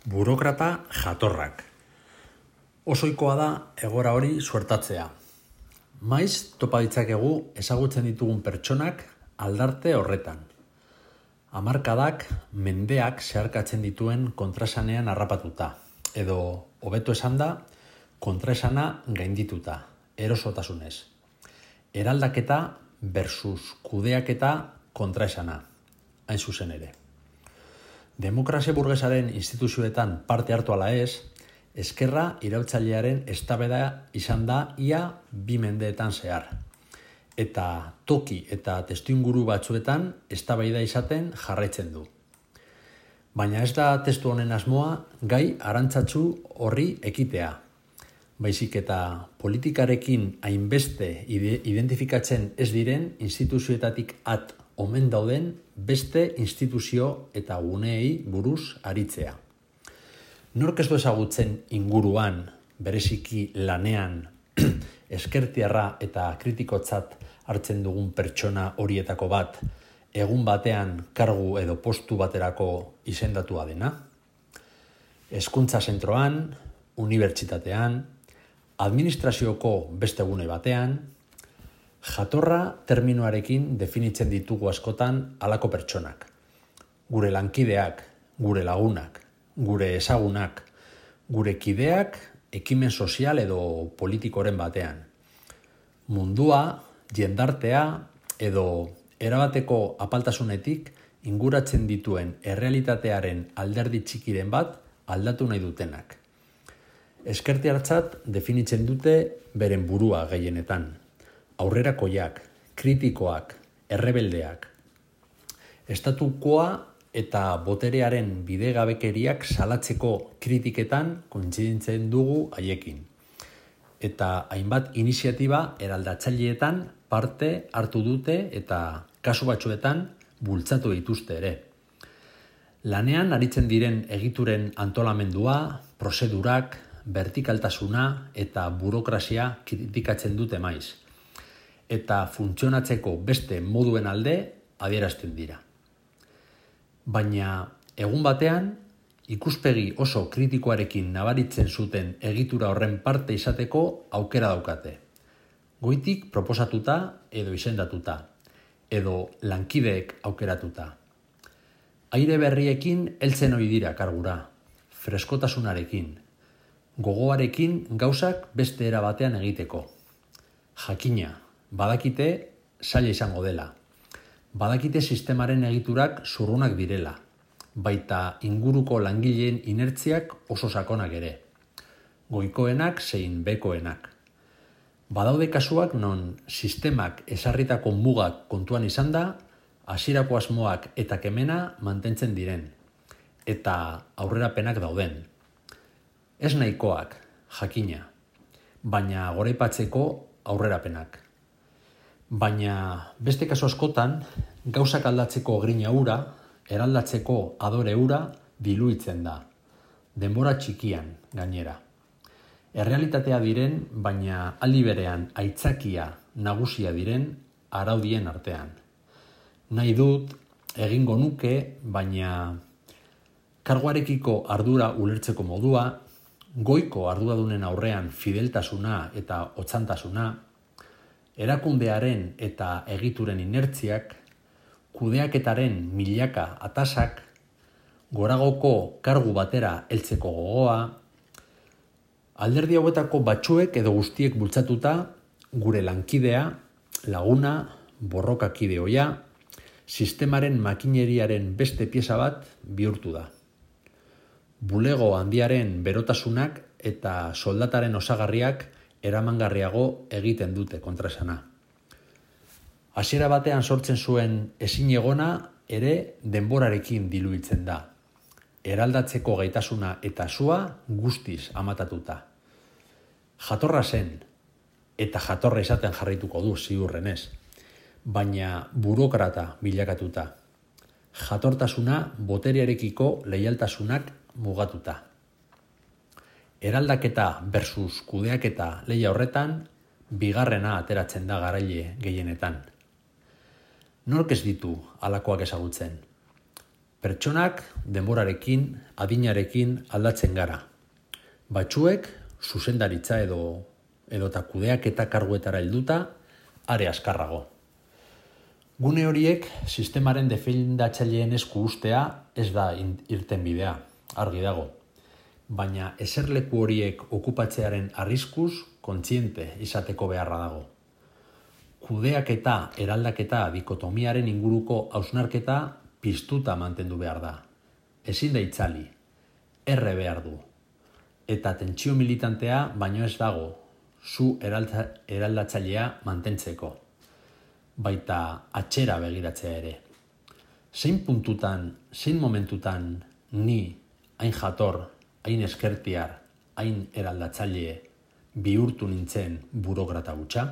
Burokrata jatorrak. Osoikoa da egora hori suertatzea. Maiz topa ditzakegu ezagutzen ditugun pertsonak aldarte horretan. Hamarkadak, mendeak zeharkatzen dituen kontraesanean harrapatuta, edo hobeto esanda, kontraesana gaindituta, erosotasunez. Eraldaketa versus kudeaketa kontraesana, hain zuzen ere. Demokrazia burgesaren instituzioetan parte hartu ala ez, ezkerra iraultzailearen eztabaida izan da ia 2 mendeetan zehar. Eta toki eta testuinguru batzuetan eztabaida izaten jarraitzen du. Baina ez da testu honen asmoa gai arantzatsu horri ekitea. Baizik eta politikarekin hainbeste identifikatzen ez diren instituzioetatik at omen dauden beste instituzio eta guneei buruz aritzea. Nork ez du ezagutzen inguruan, bereziki lanean, ezkertiarra eta kritikotzat hartzen dugun pertsona horietako bat, egun batean kargu edo postu baterako izendatua dena? Hezkuntza zentroan, unibertsitatean, administrazioko beste gune batean, jatorra terminoarekin definitzen ditugu askotan halako pertsonak. Gure lankideak, gure lagunak, gure ezagunak, gure kideak ekimen sozial edo politikoren batean. Mundua, jendartea edo erabateko apaltasunetik inguratzen dituen errealitatearen alderdi txikiren bat aldatu nahi dutenak. Ezkertiartzat definitzen dute beren burua gehienetan. Aurrerakoiak, kritikoak, errebeldeak. Estatukoa eta boterearen bidegabekeriak salatzeko kritiketan kointziditzen dugu haiekin. Eta hainbat iniziatiba eraldatzaileetan parte hartu dute eta kasu batzuetan bultzatu dituzte ere. Lanean aritzen diren egituren antolamendua, prozedurak, vertikaltasuna eta burokrazia kritikatzen dute maiz. Eta funtzionatzeko beste moduen alde adierazten dira. Baina egun batean, ikuspegi oso kritikoarekin nabaritzen zuten egitura horren parte izateko aukera daukate. Goitik proposatuta edo izendatuta, edo lankideek aukeratuta. Aire berriekin heltzen ohi dira kargura, freskotasunarekin, gogoarekin gauzak beste era batean egiteko. Jakina, badakite zaila izango dela. Badakite sistemaren egiturak zurrunak direla, baita inguruko langileen inertziak oso sakonak ere. Goikoenak zein bekoenak. Badaude kasuak non sistemak ezarritako mugak kontuan izan da, hasierako asmoak eta kemena mantentzen diren, eta aurrerapenak dauden. Ez nahikoak, jakina, baina goraipatzeko aurrerapenak. Baina beste kasu askotan, gauzak aldatzeko grina hura, eraldatzeko adore hura diluitzen da. Denbora txikian, gainera. Errealitatea diren, baina aldi berean aitzakia nagusia diren araudien artean. Nahi dut, egingo nuke, baina karguarekiko ardura ulertzeko modua, goiko arduradunen aurrean fideltasuna eta otzantasuna, erakundearen eta egituren inertziak, kudeaketaren milaka atasak, goragoko kargu batera heltzeko gogoa, alderdi hauetako batzuek edo guztiek bultzatuta, gure lankidea, laguna, borrokakide ohia, sistemaren makineriaren beste pieza bat bihurtu da. Bulego handiaren berotasunak eta soldataren osagarriak eramangarriago egiten dute kontraesana. Hasiera batean sortzen zuen ezinegona ere denborarekin diluitzen da. Eraldatzeko gaitasuna eta sua guztiz amatatuta. Jatorra zen, eta jatorra izaten jarraituko du ziurrenez, baina burokrata bilakatuta. Jatortasuna boterearekiko leialtasunak mugatuta. Eraldaketa versus kudeaketa lehia horretan, bigarrena ateratzen da garaile gehienetan. Nork ez ditu halakoak ezagutzen? Pertsonak denborarekin, adinarekin aldatzen gara. Batzuek zuzendaritza edota kudeaketa karguetara helduta are askarrago. Gune horiek sistemaren defendatzaileen esku ustea ez da irtenbidea, argi dago. Baina eserleku horiek okupatzearen arriskuz kontziente izateko beharra dago. Kudeaketa eraldaketa dikotomiaren inguruko hausnarketa piztuta mantendu behar da. Ezin da itzali, erre behar du. Eta tentsio militantea baino ez dago, zu eraldatzailea mantentzeko. Baita atxera begiratzea ere. Zein puntutan, zein momentutan ni, hain jator, hain eskertiar, hain eraldatzaile bihurtu nintzen burokrata hutsa?